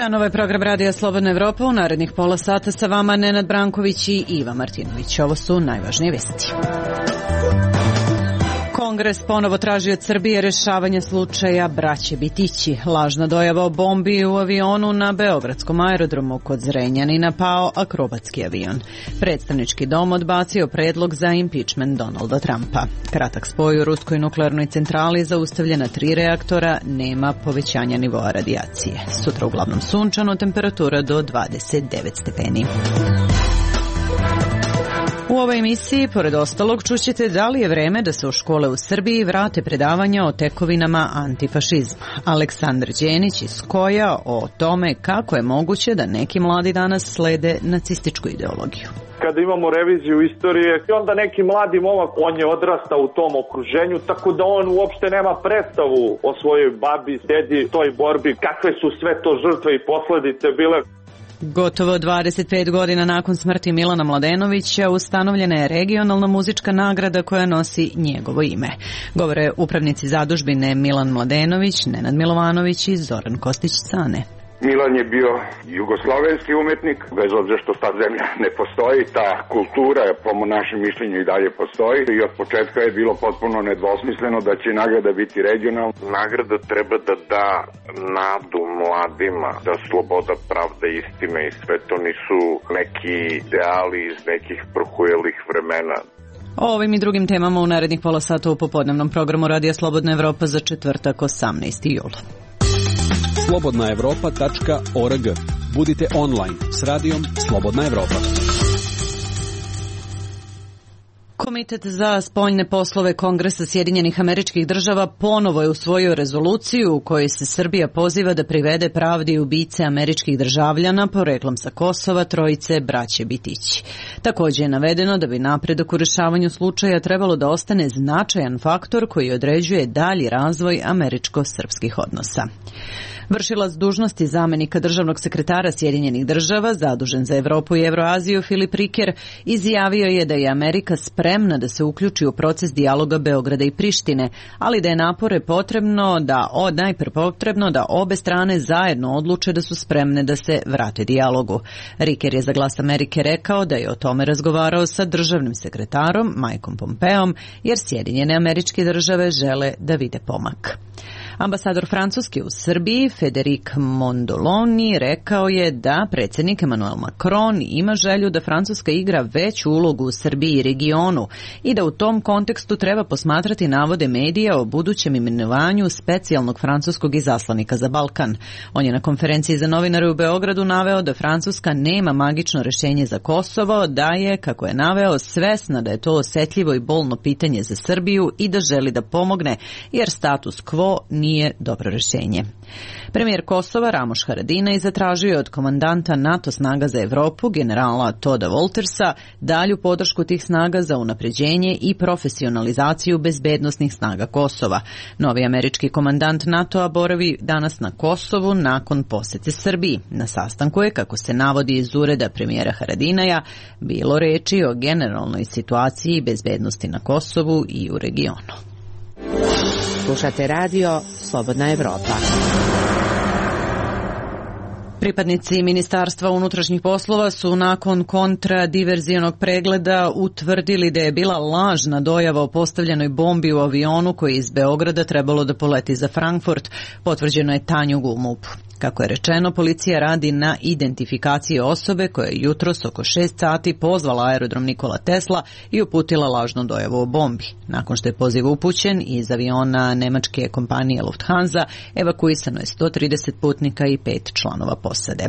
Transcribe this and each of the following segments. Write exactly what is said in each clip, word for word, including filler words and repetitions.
Novo je program Radija Slobodna Evropa. U narednih pola sata sa vama Nenad Branković i Iva Martinović. Ovo su najvažnije vesti. Kongres ponovo traži od Srbije rešavanje slučaja braće Bitići. Lažna dojava o bombi u avionu na beogradskom aerodromu kod Zrenjanina pao akrobatski avion. Predstavnički dom odbacio predlog za impeachment Donalda Trumpa. Kratak spoj u ruskoj nuklearnoj centrali, zaustavljena tri reaktora, nema povećanja nivoa radijacije. Sutra uglavnom sunčano, temperatura do dvadeset devet stepeni. U ovoj emisiji, pored ostalog, čućete da li je vreme da se u škole u Srbiji vrate predavanja o tekovinama antifašizma. Aleksandar Đenić iz Koja o tome kako je moguće da neki mladi danas slede nacističku ideologiju. Kada imamo reviziju istorije, onda neki mladi momak, on je odrastao u tom okruženju, tako da on uopšte nema predstavu o svojoj babi, dedi, toj borbi, kakve su sve to žrtve i posledice bile. Gotovo dvadeset pet godina nakon smrti Milana Mladenovića ustanovljena je regionalna muzička nagrada koja nosi njegovo ime. Govore upravnici zadužbine Milan Mladenović, Nenad Milovanović i Zoran Kostić-Cane. Milan je bio jugoslovenski umetnik, bez obzira što ta zemlja ne postoji, ta kultura po našem mišljenju i dalje postoji i od početka je bilo potpuno nedvosmisleno da će nagrada biti regionalna. Nagrada treba da da nadu mladima, da sloboda, pravda, istina i sve to nisu neki ideali iz nekih prohujelih vremena. O ovim i drugim temama u narednih pola sata u popodnevnom programu Radija Slobodna Evropa za četvrtak osamnaesti jul. slobodna evropa tačka org. Budite online s radijom Slobodna Evropa. Komitet za spoljne poslove Kongresa Sjedinjenih Američkih Država ponovo je usvojio rezoluciju u kojoj se Srbija poziva da privede pravdi ubice američkih državljana poreklom sa Kosova, trojice braće Bitići. Također je navedeno da bi napredak u rešavanju slučaja trebalo da ostane značajan faktor koji određuje dalji razvoj američko-srpskih odnosa. Vršilac dužnosti zamenika državnog sekretara Sjedinjenih Država, zadužen za Evropu i Evroaziju, Filip Riker, izjavio je da je Amerika spremna da se uključi u proces dijaloga Beograda i Prištine, ali da je napore potrebno da, o, najpre potrebno da obe strane zajedno odluče da su spremne da se vrate dijalogu. Riker je za Glas Amerike rekao da je o tome razgovarao sa državnim sekretarom Mikeom Pompeom, jer Sjedinjene Američke Države žele da vide pomak. Ambasador Francuske u Srbiji, Federic Mondoloni, rekao je da predsjednik Emmanuel Macron ima želju da Francuska igra veću ulogu u Srbiji i regionu i da u tom kontekstu treba posmatrati navode medija o budućem imenovanju specijalnog francuskog izaslanika za Balkan. On je na konferenciji za novinare u Beogradu naveo da Francuska nema magično rješenje za Kosovo, da je, kako je naveo, svesna da je to osjetljivo i bolno pitanje za Srbiju i da želi da pomogne, jer status quo nije dobro rješenje. Premijer Kosova Ramoš Haradinaj zatražio je od komandanta NATO snaga za Evropu, generala Toda Woltersa, dalju podršku tih snaga za unapređenje i profesionalizaciju bezbednosnih snaga Kosova. Novi američki komandant NATO-a boravi danas na Kosovu nakon posete Srbiji. Na sastanku je, kako se navodi iz ureda premijera Haradinaja, bilo reči o generalnoj situaciji bezbednosti na Kosovu i u regionu. Slušate radio Slobodna Evropa. Pripadnici Ministarstva unutrašnjih poslova su nakon kontradiverzijonog pregleda utvrdili da je bila lažna dojava o postavljenoj bombi u avionu koji je iz Beograda trebalo da poleti za Frankfurt, potvrđeno je Tanjugu u MUP-u. Kako je rečeno, policija radi na identifikaciji osobe koja je jutros oko šest sati pozvala aerodrom Nikola Tesla i uputila lažnu dojavu o bombi. Nakon što je poziv upućen, iz aviona nemačke kompanije Lufthansa evakuisano je sto trideset putnika i pet članova posade.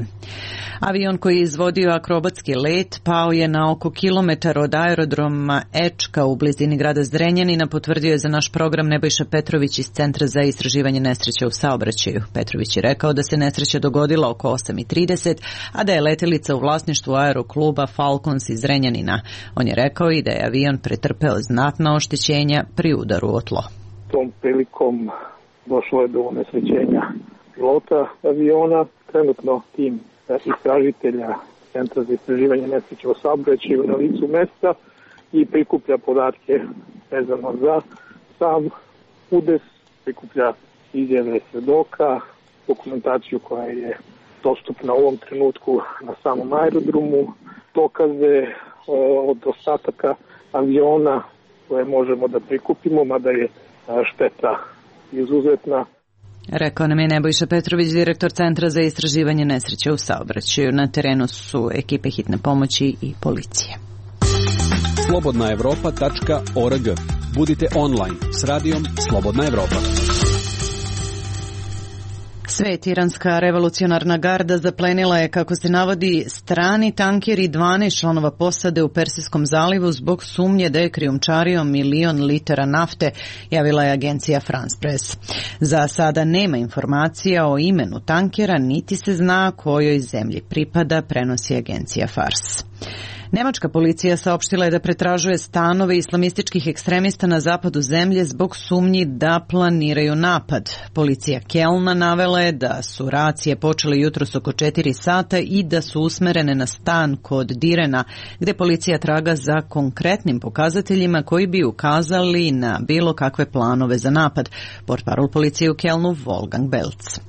Avion koji je izvodio akrobatski let pao je na oko kilometar od aerodroma Ečka u blizini grada Zrenjanina, potvrdio je za naš program Nebojša Petrović iz Centra za istraživanje nesreća u saobraćaju. Petrović je rekao da se nesreća dogodila oko osam i trideset, a da je letelica u vlasništvu aerokluba Falcons iz Zrenjanina. On je rekao i da je avion pretrpeo znatna oštećenja pri udaru o tlo. Tom prilikom došlo je do unesrećenja pilota aviona. Trenutno tim istražitelja Centra za istraživanje nesreća u saobraćaju na licu mesta i prikuplja podatke vezano za sam udes, prikuplja izjave svedoka, dokumentaciju koja je dostupna u ovom trenutku na samom aerodromu, dokaze od ostataka aviona koje možemo da prikupimo, mada je šteta izuzetna. Rekao nam je Nebojša Petrović, direktor Centra za istraživanje nesreće u saobraćaju. Na terenu su ekipe hitne pomoći i policije. slobodna evropa tačka org. Budite online s radijom Slobodna Evropa. Svet, iranska revolucionarna garda zaplenila je, kako se navodi, strani tanker i dvanaest članova posade u Persijskom zalivu zbog sumnje da je krijumčario milion litara nafte, javila je agencija France Press. Za sada nema informacija o imenu tankera, niti se zna kojoj zemlji pripada, prenosi agencija Fars. Nemačka policija saopštila je da pretražuje stanove islamističkih ekstremista na zapadu zemlje zbog sumnji da planiraju napad. Policija Kelna navela je da su racije počele jutros oko četiri sata i da su usmerene na stan kod Direna, gde policija traga za konkretnim pokazateljima koji bi ukazali na bilo kakve planove za napad. Portparol policije u Kelnu Wolfgang Belz.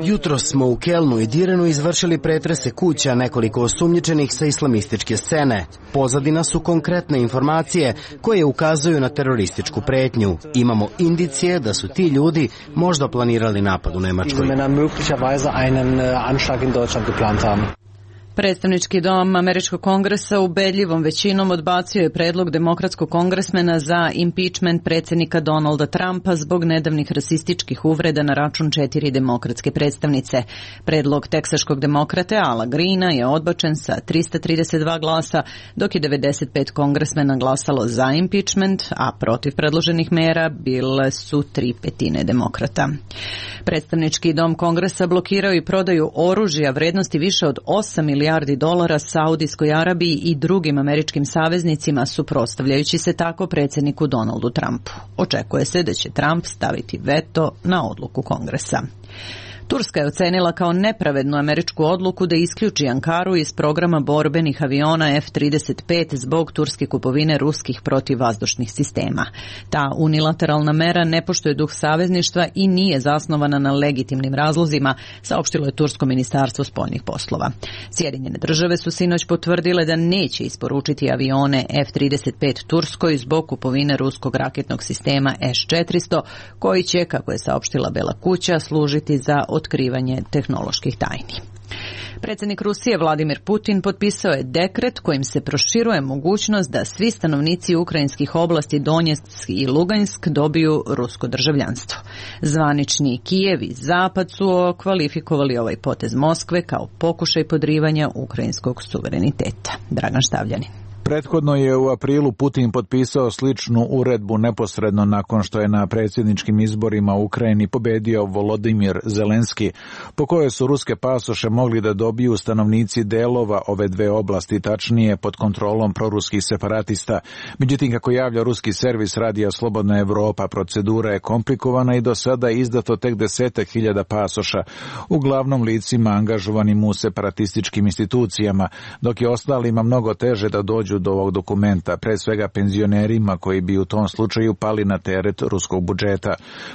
Jutro smo u Kelnu i Direnu izvršili pretrese kuća nekoliko osumnjičenih sa islamističke scene. Pozadina su konkretne informacije koje ukazuju na terorističku pretnju. Imamo indicije da su ti ljudi možda planirali napad u Nemačkoj. Predstavnički dom Američkog kongresa ubedljivom većinom odbacio je predlog demokratskog kongresmena za impeachment predsjednika Donalda Trumpa zbog nedavnih rasističkih uvreda na račun četiri demokratske predstavnice. Predlog teksaškog demokrate Ala Greena je odbačen sa trista trideset dva glasa, dok je devedeset pet kongresmena glasalo za impeachment, a protiv predloženih mera bile su tri petine demokrata. Predstavnički dom kongresa blokirao i prodaju oružja vrednosti više od osam milijardi dolara Saudijskoj Arabiji i drugim američkim saveznicima, suprotstavljajući se tako predsjedniku Donaldu Trumpu. Očekuje se da će Trump staviti veto na odluku kongresa. Turska je ocenila kao nepravednu američku odluku da isključi Ankaru iz programa borbenih aviona F trideset pet zbog turske kupovine ruskih protivvazdušnih sistema. Ta unilateralna mera ne poštuje duh savezništva i nije zasnovana na legitimnim razlozima, saopštilo je tursko ministarstvo spoljnih poslova. Sjedinjene države su sinoć potvrdile da neće isporučiti avione F trideset pet Turskoj zbog kupovine ruskog raketnog sistema S četiristo, koji će, kako je saopštila Bela kuća, služiti za otkrivanje tehnoloških tajni. Predsjednik Rusije Vladimir Putin potpisao je dekret kojim se proširuje mogućnost da svi stanovnici ukrajinskih oblasti Donjeck i Lugansk dobiju rusko državljanstvo. Zvanični Kijev i Zapad su kvalifikovali ovaj potez Moskve kao pokušaj podrivanja ukrajinskog suvereniteta. Dragan Štavljanin. Prethodno je u aprilu Putin potpisao sličnu uredbu neposredno nakon što je na predsjedničkim izborima u Ukrajini pobedio Volodimir Zelenski, po kojoj su ruske pasoše mogli da dobiju stanovnici delova ove dve oblasti, tačnije pod kontrolom proruskih separatista. Međutim, kako javlja ruski servis radija Slobodna Evropa, procedura je komplikovana i do sada je izdato tek desetak hiljada pasoša, uglavnom licima angažovanim u separatističkim institucijama, dok je ostalima mnogo teže da dođu do ovog dokumenta, pre svega penzionerima koji bi u tom slučaju pali na teret ruskog budžeta.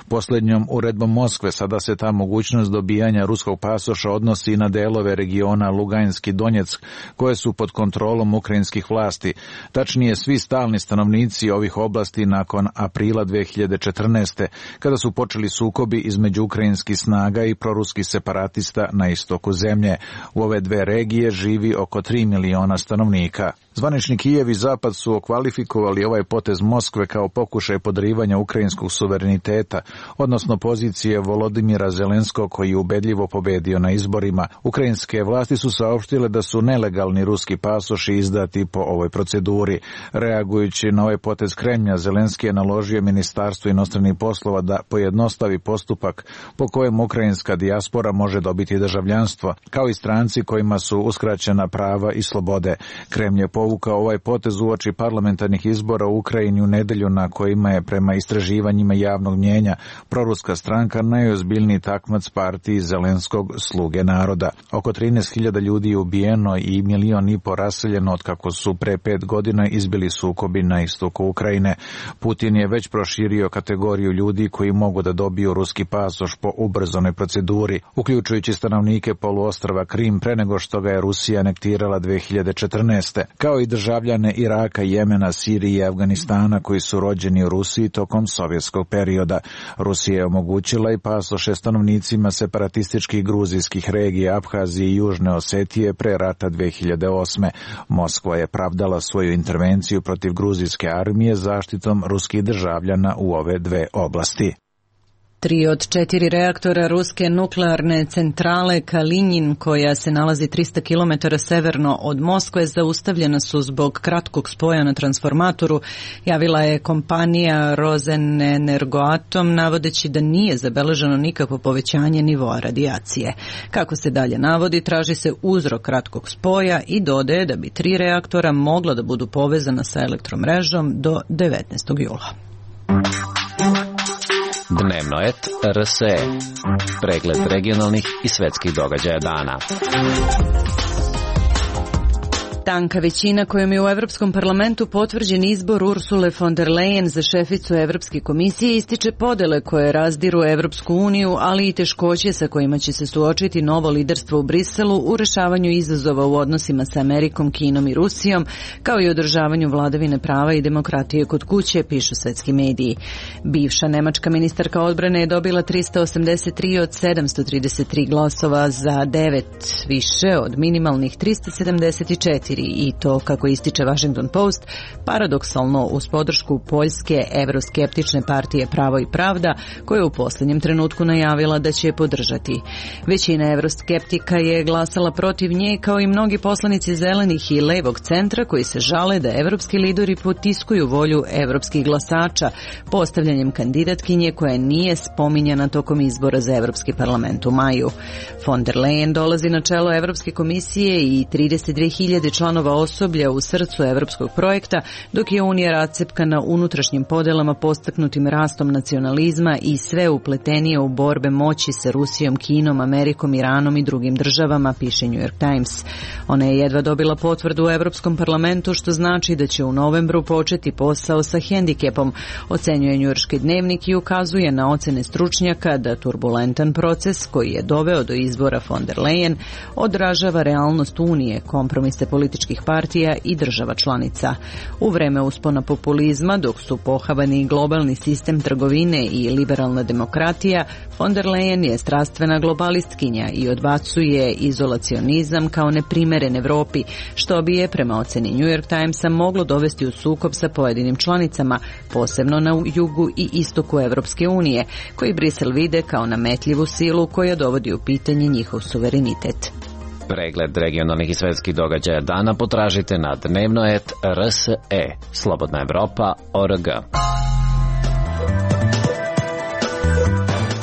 Posljednjom uredbom Moskve sada se ta mogućnost dobijanja ruskog pasoša odnosi i na delove regiona Lugansk i Donjeck koje su pod kontrolom ukrajinskih vlasti. Tačnije, svi stalni stanovnici ovih oblasti nakon aprila dve hiljade četrnaeste. kada su počeli sukobi između ukrajinskih snaga i proruskih separatista na istoku zemlje. U ove dve regije živi oko tri miliona stanovnika. Zvanični Kijev i Zapad su okvalifikovali ovaj potez Moskve kao pokušaj podrivanja ukrajinskog suvereniteta, odnosno pozicije Volodimira Zelenskog koji je ubedljivo pobedio na izborima. Ukrajinske vlasti su saopštile da su nelegalni ruski pasoši izdati po ovoj proceduri. Reagujući na ovaj potez Kremlja, Zelenski je naložio Ministarstvu inostranih poslova da pojednostavi postupak po kojem ukrajinska dijaspora može dobiti državljanstvo, kao i stranci kojima su uskraćena prava i slobode. Kremlj je povukao ovaj potez uoči parlamentarnih izbora u Ukrajini u nedelju na kojima je prema istraživanjima javnog mnjenja proruska stranka najozbiljniji takmac partiji Zelenskog Sluge naroda. Oko trinaest hiljada ljudi je ubijeno i milion i po raseljeno od kako su pre pet godina izbili sukobi na istoku Ukrajine. Putin je već proširio kategoriju ljudi koji mogu da dobiju ruski pasoš po ubrzanoj proceduri, uključujući stanovnike poluostrva Krim pre nego što ga je Rusija anektirala dve hiljade četrnaeste. Kao i državljane Iraka, Jemena, Sirije i Afganistana koji su rođeni u Rusiji tokom sovjetskog perioda. Rusija je omogućila i pasoše stanovnicima separatističkih gruzijskih regija Abhazije i Južne Osetije pre rata dve hiljade osme. Moskva je pravdala svoju intervenciju protiv gruzijske armije zaštitom ruskih državljana u ove dve oblasti. Tri od četiri reaktora ruske nuklearne centrale Kalinjin, koja se nalazi trista kilometara severno od Moskve, zaustavljena su zbog kratkog spoja na transformatoru, javila je kompanija Rosenenergoatom, navodeći da nije zabeleženo nikakvo povećanje nivoa radijacije. Kako se dalje navodi, traži se uzrok kratkog spoja i dodaje da bi tri reaktora mogla da budu povezana sa elektromrežom do devetnaestog jula. Dnevno et R S E. Pregled regionalnih i svetskih događaja dana. Tanka većina kojom je u Evropskom parlamentu potvrđen izbor Ursule von der Leyen za šeficu Evropske komisije ističe podele koje razdiru Evropsku uniju, ali i teškoće sa kojima će se suočiti novo liderstvo u Briselu u rešavanju izazova u odnosima sa Amerikom, Kinom i Rusijom, kao i održavanju vladavine prava i demokratije kod kuće, pišu svetski mediji. Bivša nemačka ministarka odbrane je dobila trista osamdeset tri od sedamsto trideset tri glasova za devet, više od minimalnih trista sedamdeset četiri. I to, kako ističe Washington Post, paradoksalno uz podršku poljske evroskeptične partije Pravo i pravda, koja je u posljednjem trenutku najavila da će je podržati. Većina evroskeptika je glasala protiv nje, kao i mnogi poslanici zelenih i levog centra koji se žale da evropski lideri potiskuju volju evropskih glasača postavljanjem kandidatkinje koja nije spominjana tokom izbora za Evropski parlament u maju. Von der Leyen dolazi na čelo Evropske komisije i trideset dve hiljade članova osoblja u srcu evropskog projekta, dok je Unija rascepkana unutrašnjim podelama postaknutim rastom nacionalizma i sve upletenije u borbe moći sa Rusijom, Kinom, Amerikom, Iranom i drugim državama, piše New York Times. Ona je jedva dobila potvrdu u Evropskom parlamentu, što znači da će u novembru početi posao sa hendikepom, ocenjuje njujorški dnevnik i ukazuje na ocene stručnjaka da turbulentan proces koji je doveo do izbora von der Leyen odražava realnost Unije, kompromise političkih partija i država članica. U vreme uspona populizma, dok su pohabani globalni sistem trgovine i liberalna demokratija, von der Leyen je strastvena globalistkinja i odbacuje izolacionizam kao neprimeren Evropi, što bi je, prema oceni New York Timesa, moglo dovesti u sukob sa pojedinim članicama, posebno na jugu i istoku Evropske unije, koji Brisel vide kao nametljivu silu koja dovodi u pitanje njihov suverenitet. Pregled regionalnih i svetskih događaja dana potražite na dnevno et R S E. Slobodna Evropa O R G.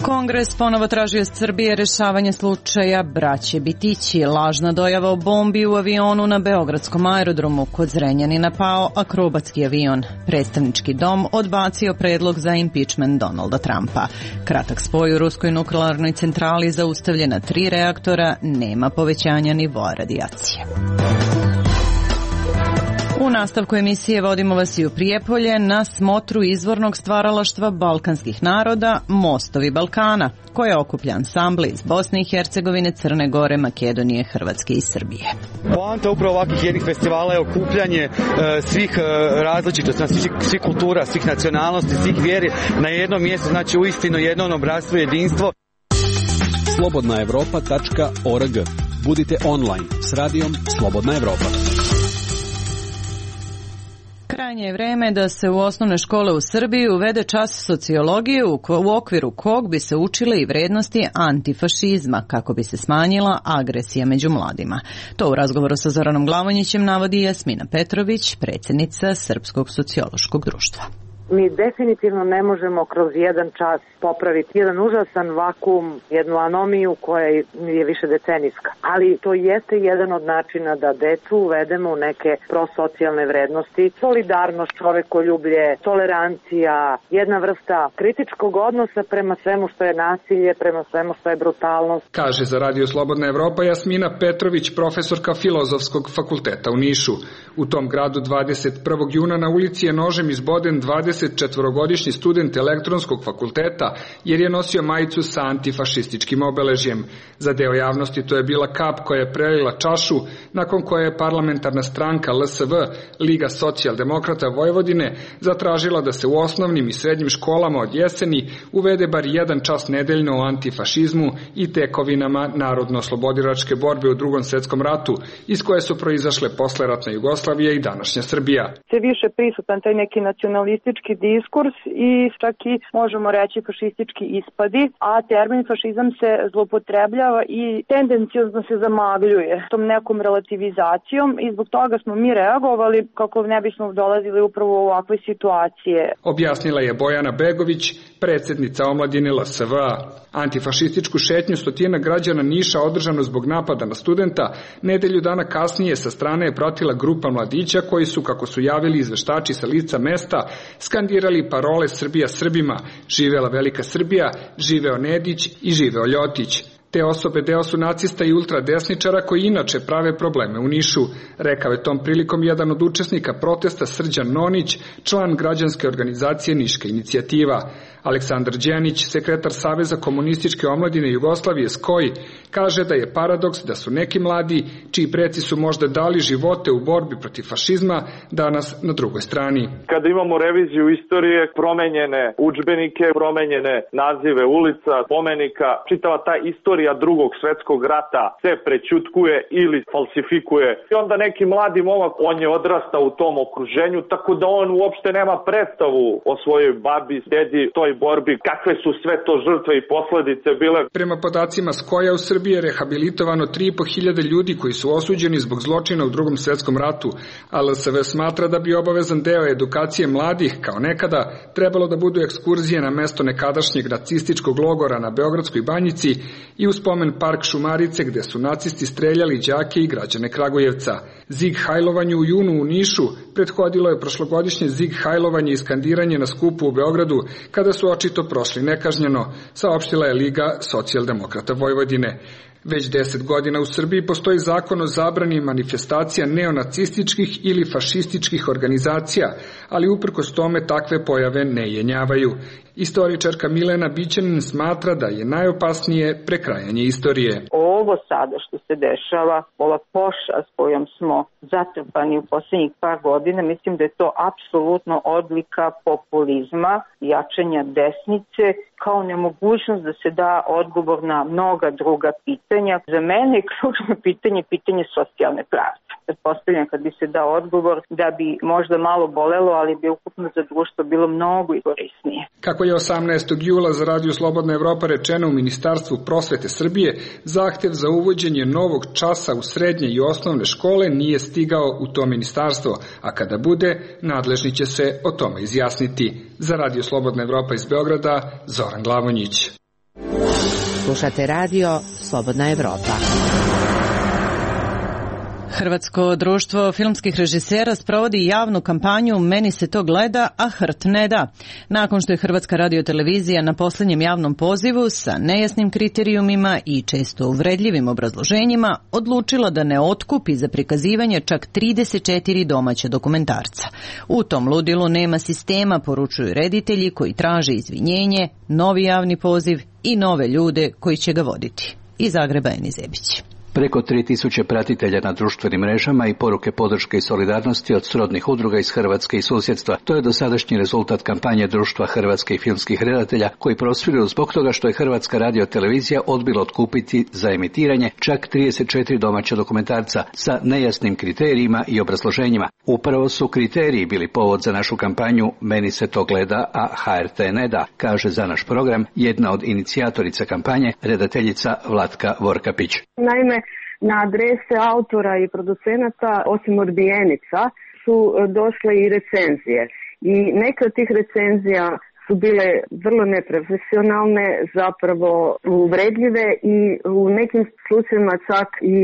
Kongres ponovo traži od Srbije rešavanje slučaja braće Bitići. Lažna dojava o bombi u avionu na beogradskom aerodromu. Kod Zrenjanina pao akrobatski avion. Predstavnički dom odbacio predlog za impeachment Donalda Trumpa. Kratak spoj u ruskoj nuklearnoj centrali, zaustavljena tri reaktora, nema povećanja nivoa radijacije. U nastavku emisije vodimo vas i u Prijepolje na smotru izvornog stvaralaštva balkanskih naroda Mostovi Balkana, koje okuplja ansambli iz Bosne i Hercegovine, Crne Gore, Makedonije, Hrvatske i Srbije. Poanta upravo ovakvih jednih festivala je okupljanje e, svih e, različitosti, svih, svih kultura, svih nacionalnosti, svih vjeri na jednom mjestu, znači uistinu jedno obratstvo, jedinstvo. slobodna evropa tačka org. Budite online s radijom Slobodna Evropa. Krajnje je vreme da se u osnovne škole u Srbiji uvede čas sociologije u, ko, u okviru kog bi se učile i vrednosti antifašizma, kako bi se smanjila agresija među mladima. To u razgovoru sa Zoranom Glavonjićem navodi Jasmina Petrović, predsjednica Srpskog sociološkog društva. Mi definitivno ne možemo kroz jedan čas popraviti jedan užasan vakuum, jednu anomiju koja je više decenijska. Ali to jeste jedan od načina da decu uvedemo u neke prosocijalne vrednosti, solidarnost, čovekoljublje, tolerancija, jedna vrsta kritičkog odnosa prema svemu što je nasilje, prema svemu što je brutalnost. Kaže za Radio Slobodna Evropa Jasmina Petrović, profesorka Filozofskog fakulteta u Nišu. U tom gradu dvadeset prvog juna na ulici je nožem izboden dvadesetčetvorogodišnji student elektronskog fakulteta jer je nosio majicu sa antifašističkim obeležjem. Za deo javnosti to je bila kap koja je prelila čašu, nakon koje je parlamentarna stranka L S V, Liga socijaldemokrata Vojvodine, zatražila da se u osnovnim i srednjim školama od jeseni uvede bar jedan čas nedeljno o antifašizmu i tekovinama narodno-oslobodilačke borbe u Drugom svetskom ratu, iz koje su proizašle posleratna Jugoslavija i današnja Srbija. Sve više prisutan taj neki nacionalistički diskurs i čak i možemo reći fašistički ispadi, a termin fašizam se zloupotrebljava i tendencijozno se zamagljuje tom nekom relativizacijom i zbog toga smo mi reagovali kako ne bismo dolazili upravo u ovakve situacije. Objasnila je Bojana Begović, predsednica omladine L S V A. Antifašističku šetnju stotina građana Niša održanu zbog napada na studenta, nedelju dana kasnije sa strane je pratila grupa mladića koji su, kako su javili izveštači sa lica mesta, skandirali parole Srbija Srbima, živela Velika Srbija, živeo Nedić i živeo Ljotić. Te osobe deo su nacista i ultradesničara koji inače prave probleme u Nišu, rekao je tom prilikom jedan od učesnika protesta Srđan Nonić, član građanske organizacije Niška inicijativa. Aleksandar Đenić, sekretar Saveza komunističke omladine Jugoslavije S K O I, kaže da je paradoks da su neki mladi, čiji preci su možda dali živote u borbi protiv fašizma, danas na drugoj strani. Kada imamo reviziju istorije, promenjene udžbenike, promenjene nazive ulica, spomenika, čitava ta istorija Drugog svetskog rata se prećutkuje ili falsifikuje. I onda neki mladi momak, on je odrastao u tom okruženju, tako da on uopšte nema predstavu o svojoj babi, dedi, toj borbi, kakve su sve to žrtve i posledice bile. Prema podacima S K O I-a u Srbiji je rehabilitovano tri i po hiljade ljudi koji su osuđeni zbog zločina u Drugom svetskom ratu, a L S V smatra da bi obavezan deo edukacije mladih, kao nekada, trebalo da budu ekskurzije na mesto nekadašnjeg nacističkog logora na Beogradskoj banjici i u spomen park Šumarice gde su nacisti streljali đake i građane Kragujevca. Zig hajlovanju u junu u Nišu prethodilo je prošlogodišnje zig hajlovanje i skandiranje na skupu u Beogradu, kada su očito prošli nekažnjeno, saopštila je Liga socijaldemokrata Vojvodine. Već deset godina u Srbiji postoji zakon o zabrani manifestacija neonacističkih ili fašističkih organizacija, ali uprkos tome takve pojave ne jenjavaju. Istoričarka Milena Bićanin smatra da je najopasnije prekrajanje istorije. Ovo sada što se dešava, ova pošast kojom smo zatrpani u poslednjih par godina, mislim da je to apsolutno odlika populizma, jačanja desnice, kao nemogućnost da se da odgovor na mnoga druga pitanja. Za mene je ključno pitanje pitanje socijalne pravde. Pretpostavljam kad bi se dao odgovor da bi možda malo bolelo, ali bi ukupno za društvo bilo mnogo i korisnije. Kako je osamnaestog jula za Radio Slobodna Evropa rečeno u Ministarstvu prosvete Srbije, zahtev za uvođenje novog časa u srednje i osnovne škole nije stigao u to ministarstvo, a kada bude, nadležni će se o tome izjasniti. Za Radio Slobodna Evropa iz Beograda, Zoran Glavonjić. Slušate Radio Slobodna Evropa. Hrvatsko društvo filmskih režisera sprovodi javnu kampanju Meni se to gleda, a hrt ne da. Nakon što je Hrvatska radiotelevizija na posljednjem javnom pozivu sa nejasnim kriterijumima i često uvredljivim obrazloženjima odlučila da ne otkupi za prikazivanje čak trideset četiri domaća dokumentarca. U tom ludilu nema sistema, poručuju reditelji koji traže izvinjenje, novi javni poziv i nove ljude koji će ga voditi. Iz Zagreba Eni Zebić. Preko tri tisuće pratitelja na društvenim mrežama i poruke podrške i solidarnosti od srodnih udruga iz Hrvatske i susjedstva. To je dosadašnji rezultat kampanje Društva hrvatskih filmskih redatelja koji prosvjeduju zbog toga što je Hrvatska radiotelevizija odbila otkupiti za emitiranje čak trideset četiri domaća dokumentarca sa nejasnim kriterijima i obrazloženjima. Upravo su kriteriji bili povod za našu kampanju Meni se to gleda, a H R T ne da, kaže za naš program jedna od inicijatorica kampanje, redateljica Vlatka Vorkapić. Naime, na adrese autora i producenata, osim odbijenica, su došle i recenzije. i neke od tih recenzija su bile vrlo neprofesionalne, zapravo uvredljive i u nekim slučajevima čak i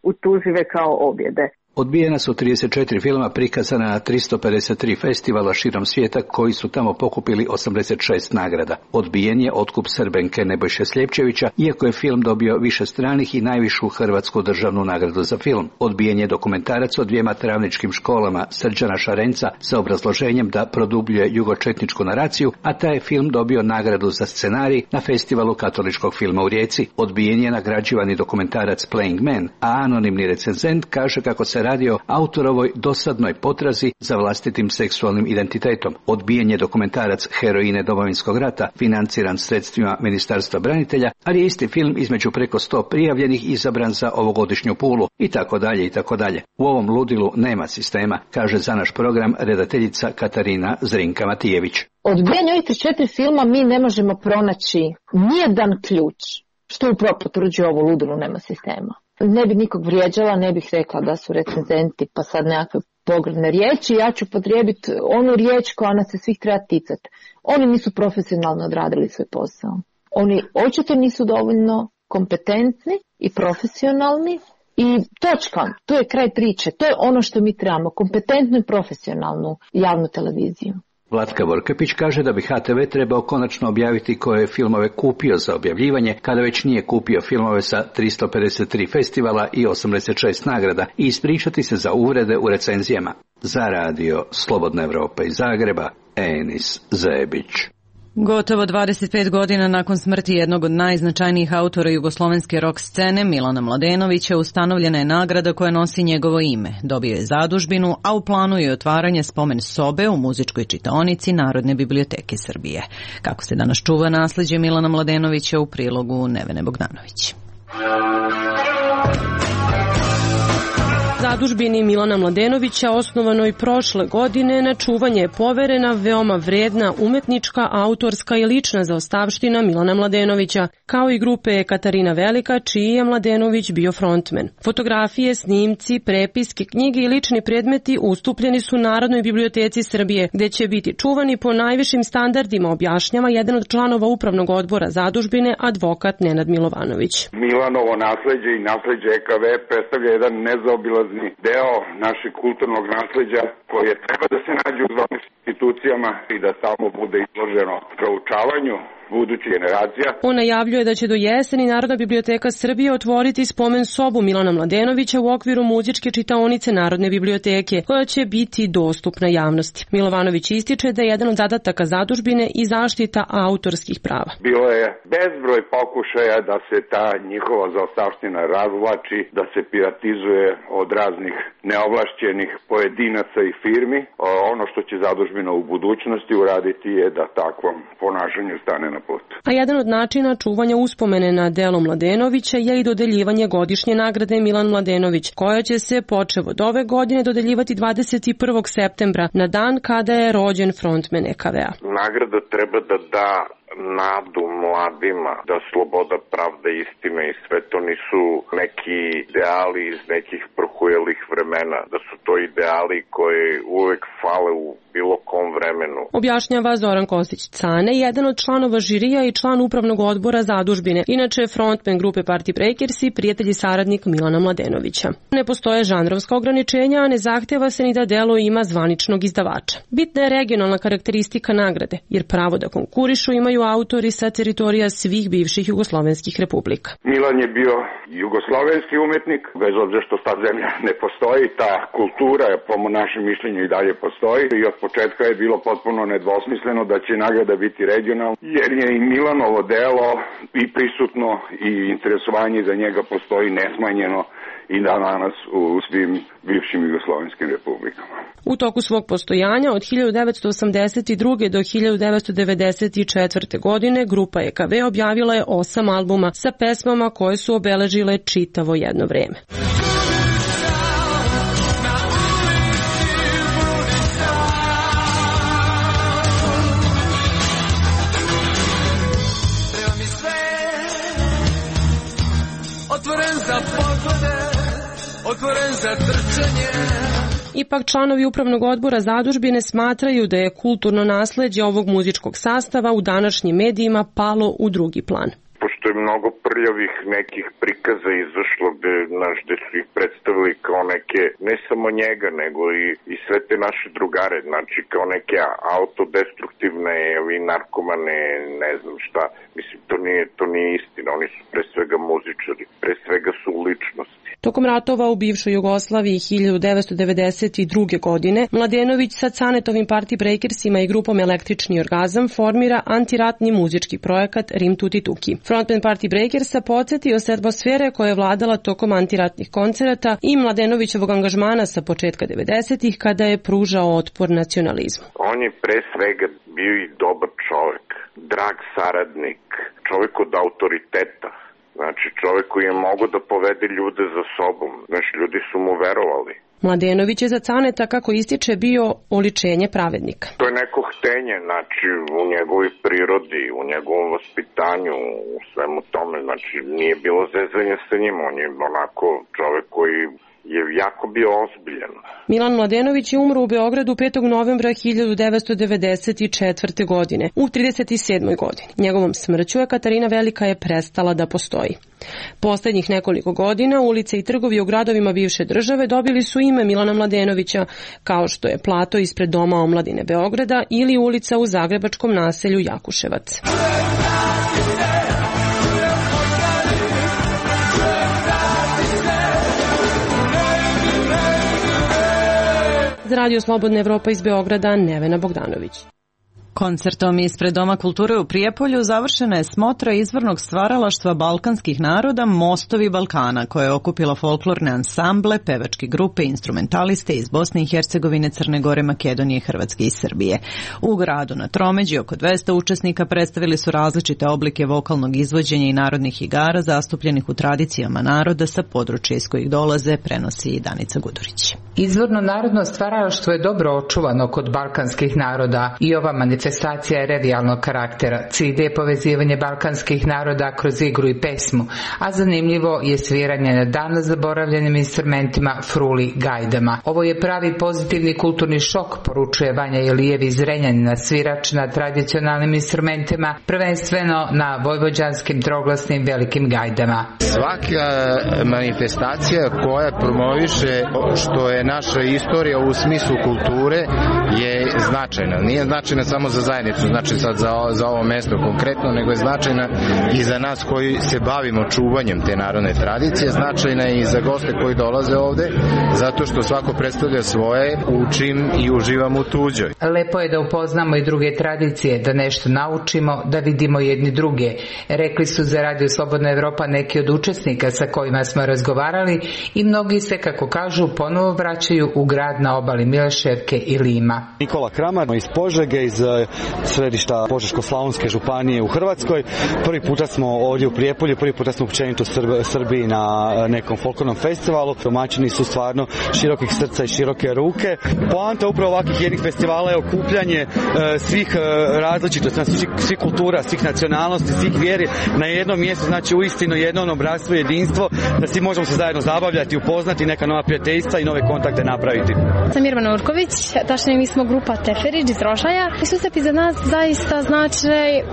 utužive kao objede. Odbijena su trideset četiri filma prikazana na tristo pedeset tri festivala širom svijeta koji su tamo pokupili osamdeset šest nagrada. Odbijen je Otkup Srbenke Nebojše Sljepčevića, iako je film dobio više stranih i najvišu hrvatsku državnu nagradu za film. Odbijen je dokumentarac o dvijema travničkim školama Srđana Šarenca sa obrazloženjem da produbljuje jugočetničku naraciju, a taj je film dobio nagradu za scenarij na festivalu katoličkog filma u Rijeci. Odbijen je nagrađivani dokumentarac Playing Man, a anonimni recenzent kaže kako se radi o autorovoj dosadnoj potrazi za vlastitim seksualnim identitetom. Odbijen je dokumentarac Heroine Domovinskog rata, financiran sredstvima Ministarstva branitelja, ali je isti film između preko sto prijavljenih izabran za ovogodišnju Pulu, i tako dalje i tako dalje. U ovom ludilu nema sistema, kaže za naš program redateljica Katarina Zrinka-Matijević. Odbijanje ovih četiri filma mi ne možemo pronaći nijedan ključ, što upravo potvrđuje ovo ludilo nema sistema. Ne bih nikog vrijeđala, ne bih rekla da su recenzenti pa sad nekakve pogrdne riječi, ja ću potrijebiti onu riječ koja nas se svih treba ticati. Oni nisu profesionalno odradili svoj posao. Oni očito nisu dovoljno kompetentni i profesionalni i točka, to je kraj priče, to je ono što mi trebamo, kompetentnu i profesionalnu javnu televiziju. Vlatka Vorkapić kaže da bi H T V trebao konačno objaviti koje je filmove kupio za objavljivanje, kada već nije kupio filmove sa tristo pedeset tri festivala i osamdeset šest nagrada, i ispričati se za uvrede u recenzijama. Za radio Slobodna Evropa iz Zagreba, Enis Zebić. Gotovo dvadeset pet godina nakon smrti jednog od najznačajnijih autora jugoslovenske rock scene, Milana Mladenovića, ustanovljena je nagrada koja nosi njegovo ime. Dobio je zadužbinu, a u planu je otvaranje spomen sobe u muzičkoj čitaonici Narodne biblioteke Srbije. Kako se danas čuva nasleđe Milana Mladenovića u prilogu Nevene Bogdanović. Zadužbini Milana Mladenovića, osnovanoj prošle godine, na čuvanje je poverena veoma vredna umetnička, autorska i lična zaostavština Milana Mladenovića, kao i grupe Katarina Velika, čiji je Mladenović bio frontmen. Fotografije, snimci, prepiske, knjige i lični predmeti ustupljeni su Narodnoj biblioteci Srbije, gde će biti čuvani po najvišim standardima, objašnjava jedan od članova upravnog odbora zadužbine, advokat Nenad Milovanović. Milanovo nasleđe i nasleđe E K V predstavlja jedan nezaobilazni deo našeg kulturnog nasleđa koje treba da se nađe u ovim institucijama i da tamo bude izloženo proučavanju budućih generacija. On najavljuje da će do jeseni Narodna biblioteka Srbije otvoriti spomen sobu Milana Mladenovića u okviru muzičke čitaonice Narodne biblioteke, koja će biti dostupna javnosti. Milovanović ističe da je jedan od zadataka zadužbine i zaštita autorskih prava. Bilo je bezbroj pokušaja da se ta njihova zaostavština razvlači, da se piratizuje od raznih neovlašćenih pojedinaca i firmi. Ono što će zadužbina u budućnosti uraditi je da takvom ponašanju stane na put. A jedan od načina čuvanja uspomene na delo Mladenovića je i dodeljivanje godišnje nagrade Milan Mladenović, koja će se počev od ove godine dodeljivati dvadeset prvog septembra, na dan kada je rođen frontmen E K V-a. Nagrada treba da da nadu mladima da sloboda, pravda, istina i sve to nisu neki ideali iz nekih prohujelih vremena, da su to ideali koji uvek fale u bilo kom vremenu. Objašnjava Zoran Kostić-Cane, jedan od članova žirija i član upravnog odbora zadužbine, inače frontman grupe Party Breakers i prijatelj i saradnik Milana Mladenovića. Ne postoje žanrovska ograničenja, a ne zahteva se ni da delo ima zvaničnog izdavača. Bitna je regionalna karakteristika nagrade, jer pravo da konkurišu imaju autori sa teritorija svih bivših jugoslovenskih republika. Milan je bio jugoslovenski umetnik, bez obzira što ta zemlja ne postoji, ta kultura po našem mišljenju i dalje postoji i od početka je bilo potpuno nedvosmisleno da će nagrada biti regionalna, jer je i Milanovo delo i prisutno i interesovanje za njega postoji nesmanjeno i danas u svim bivšim jugoslovenskim republikama. U toku svog postojanja od hiljadu devetsto osamdeset druge do hiljadu devetsto devedeset četvrte. godine grupa E K V objavila je osam albuma sa pesmama koje su obeležile čitavo jedno vreme. Otvoren za poglede, otvoren za trčanje, Ipak članovi upravnog odbora zadužbine smatraju da je kulturno nasleđe ovog muzičkog sastava u današnjim medijima palo u drugi plan. Pošto je mnogo prljavih nekih prikaza izašlo gde, naš, gde su ih predstavili kao neke, ne samo njega, nego i, i sve te naše drugare, znači kao neke autodestruktivne ili narkomane, ne znam šta. Mislim, to nije, to nije istina, oni su pre svega muzičari, pre svega su ličnosti. Tokom ratova u bivšoj Jugoslaviji hiljadu devetsto devedeset druge. godine Mladenović sa Canetovim Party Breakersima i grupom Električni orgazam formira antiratni muzički projekat Rim Tuti Tuki. Frontman Party Breakersa podsjetio se atmosfere koja je vladala tokom antiratnih koncerata i Mladenovićevog angažmana sa početka devedesetih kada je pružao otpor nacionalizmu. On je pre svega bio i dobar čovek, drag saradnik, čovek od autoriteta. Znači, čovjek koji je mogao da povede ljude za sobom. Znači, ljudi su mu verovali. Mladenović je za Caneta, kako ističe, bio oličenje pravednika. To je neko htenje, znači, u njegovoj prirodi, u njegovom vaspitanju, u svemu tome. Znači, nije bilo zezanja sa njim, on je onako čovjek koji je jako bio ozbiljan. Milan Mladenović je umro u Beogradu petog novembra hiljadu devetsto devedeset četvrte. godine, u trideset sedmoj godini. Njegovom smrću je Katarina Velika je prestala da postoji. Poslednjih nekoliko godina ulice i trgovi u gradovima bivše države dobili su ime Milana Mladenovića, kao što je plato ispred Doma omladine Beograda ili ulica u zagrebačkom naselju Jakuševac. Za Radio Slobodna Evropa iz Beograda, Nevena Bogdanović. Koncertom ispred Doma kulture u Prijepolju završena je smotra izvornog stvaralaštva balkanskih naroda Mostovi Balkana, koja je okupila folklorne ansamble, pevačke grupe i instrumentaliste iz Bosne i Hercegovine, Crne Gore, Makedonije, Hrvatske i Srbije. U gradu na Tromeđi oko dvesta učesnika predstavili su različite oblike vokalnog izvođenja i narodnih igara zastupljenih u tradicijama naroda sa područja iz kojih dolaze, prenosi i Danica Gudurić. Izvorno narodno stvaralaštvo je dobro očuvano kod balkanskih naroda i ova manifestacija je revijalnog karaktera. Cilj je povezivanje balkanskih naroda kroz igru i pesmu, a zanimljivo je sviranje na davno zaboravljenim instrumentima fruli gajdama. Ovo je pravi pozitivni kulturni šok, poručuje Vanja Ilijev iz Renjanina, svirač na tradicionalnim instrumentima, prvenstveno na vojvođanskim troglasnim velikim gajdama. Svaka manifestacija koja promoviše što je naša istorija u smislu kulture je značajna. Nije značajna samo za zajednicu, znači sad za, za ovo mesto konkretno, nego je značajna i za nas koji se bavimo čuvanjem te narodne tradicije, značajna je i za goste koji dolaze ovde, zato što svako predstavlja svoje, učim i uživam u tuđoj. Lepo je da upoznamo i druge tradicije, da nešto naučimo, da vidimo jedni druge. Rekli su za Radio Slobodna Evropa neki od učesnika sa kojima smo razgovarali i mnogi se, kako kažu, ponovo vraćaju u grad na obali Mileševke i Lima. Nikola Kramar iz Požege, iz središta Požeško-slavonske županije u Hrvatskoj. Prvi puta smo ovdje u Prijepolju, prvi puta smo općenito u Srbiji na nekom folklornom festivalu. Domaćini su stvarno širokih srca i široke ruke. Poanta upravo ovakvih jednih festivala je okupljanje svih različitosti, svih, svih kultura, svih nacionalnosti, svih vjeri na jednom mjestu, znači uistinu jedno ono bratstvo, jedinstvo, da svi možemo se zajedno zabavljati, upoznati neka nova prijateljstva i nove kontakte napraviti. Sam Irvana Urković, tačnije mi smo grupa Teferić iz Rošaja i susreti za nas zaista znači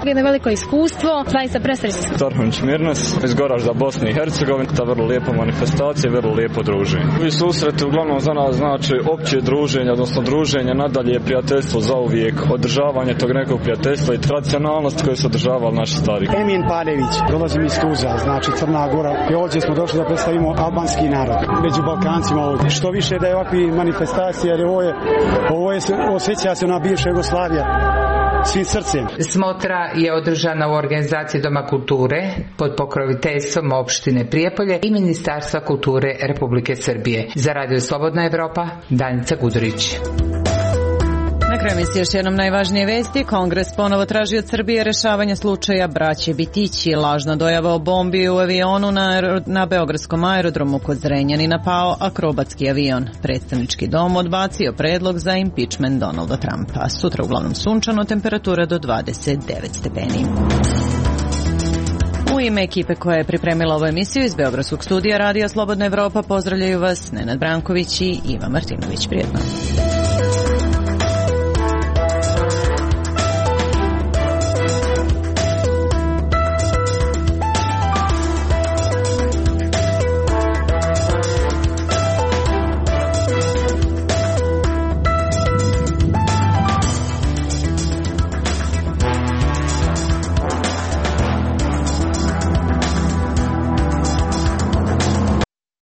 jedno veliko iskustvo, zaista presrećni smo. Tarhunić Mirnes iz Goražda, Bosne i Hercegovine, ta vrlo lijepa manifestacija, vrlo lijepo druženje. Ovi susreti uglavnom za nas znači opće druženje, odnosno druženje, nadalje prijateljstvo za uvijek, održavanje tog nekog prijateljstva i tradicionalnosti koje su održavali naši stari. Emin Padević, dolazim iz Tuzla, znači Crna Gora, i ovdje smo došli da predstavimo albanski narod među Balkancima ovdje. Što više da je ovakvi manifestacija, jer ovo je, ovo je osjeća se na bivša Jugoslavija svim srcem. Smotra je održana u organizaciji Doma kulture pod pokroviteljstvom opštine Prijepolje i Ministarstva kulture Republike Srbije. Za Radio Slobodna Evropa, Danica Gudurić. Na kraju emisije još jednom najvažnije vesti. Kongres ponovo traži od Srbije rešavanje slučaja braće Bitići. Lažna dojava o bombi u avionu na, na beogradskom aerodromu kod Zrenjanina pao akrobatski avion. Predstavnički dom odbacio predlog za impeachment Donalda Trumpa. Sutra uglavnom sunčano, temperatura do dvadeset devet stepeni. U ime ekipe koja je pripremila ovu emisiju iz Beogradskog studija Radija Slobodna Evropa pozdravljaju vas Nenad Branković i Iva Martinović. Prijetno.